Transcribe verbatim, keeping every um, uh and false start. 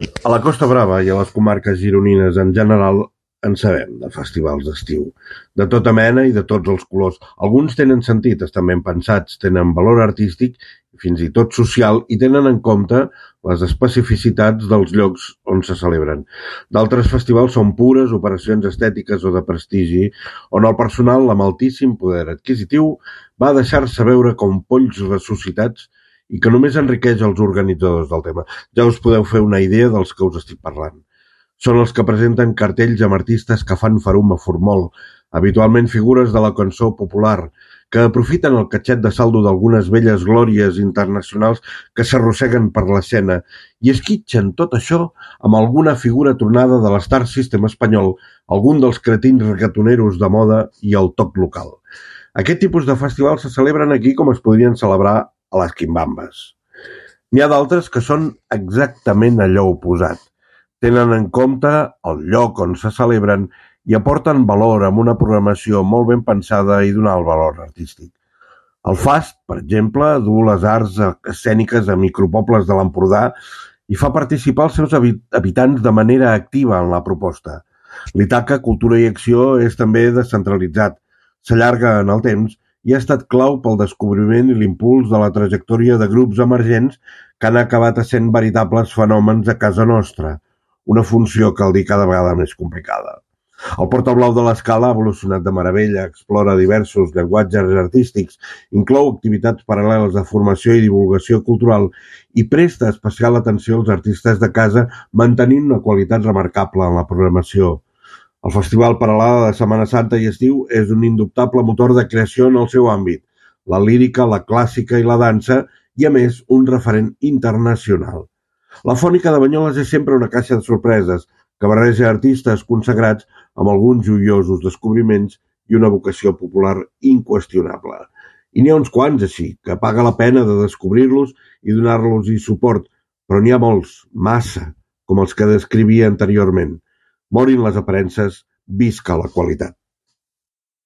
A la Costa Brava i a les comarques gironines en general en sabem, de festivals d'estiu. De tota mena i de tots els colors. Alguns tenen sentit, estan ben pensats, tenen valor artístic i fins i tot social i tenen en compte les especificitats dels llocs on se celebren. D'altres festivals són pures operacions estètiques o de prestigi, on el personal amb altíssim poder adquisitiu va deixar-se veure com polls ressuscitats i que només enriqueix els organitzadors del tema. Ja us podeu fer una idea dels que us estic parlant. Són els que presenten cartells amb artistes que fan farum a formol, habitualment figures de la cançó popular, que aprofiten el catxet de saldo d'algunes velles glòries internacionals que s'arrosseguen per l'escena i esquitxen tot això amb alguna figura tronada de l'Star System espanyol, algun dels cretins reggaetoneros de moda i el toc local. Aquest tipus de festivals se celebren aquí com es podrien celebrar a les quimbambes. N'hi ha d'altres que són exactament allò oposat. Tenen en compte el lloc on se celebren i aporten valor amb una programació molt ben pensada i d'un alt valor artístic. El FAST, per exemple, du les arts escèniques a micropobles de l'Empordà i fa participar els seus habitants de manera activa en la proposta. L'Itaca Cultura i Acció és també descentralitzat, s'allarga en el temps i ha estat clau pel descobriment i l'impuls de la trajectòria de grups emergents que han acabat essent veritables fenòmens a casa nostra, una funció, cal dir, cada vegada més complicada. El Portablau de l'Escala ha evolucionat de meravella, explora diversos llenguatges artístics, inclou activitats paral·leles de formació i divulgació cultural i presta especial atenció als artistes de casa mantenint una qualitat remarcable en la programació. El Festival Peralada de Setmana Santa i Estiu és un indubtable motor de creació en el seu àmbit, la lírica, la clàssica i la dansa, i a més un referent internacional. La Fònica de Banyoles és sempre una caixa de sorpreses que barreja artistes consagrats amb alguns joiosos descobriments i una vocació popular inqüestionable. I n'hi ha uns quants així, que paga la pena de descobrir-los i donar-los-hi suport, però n'hi ha molts, massa, com els que descrivia anteriorment. Morin les aparences, visca la qualitat.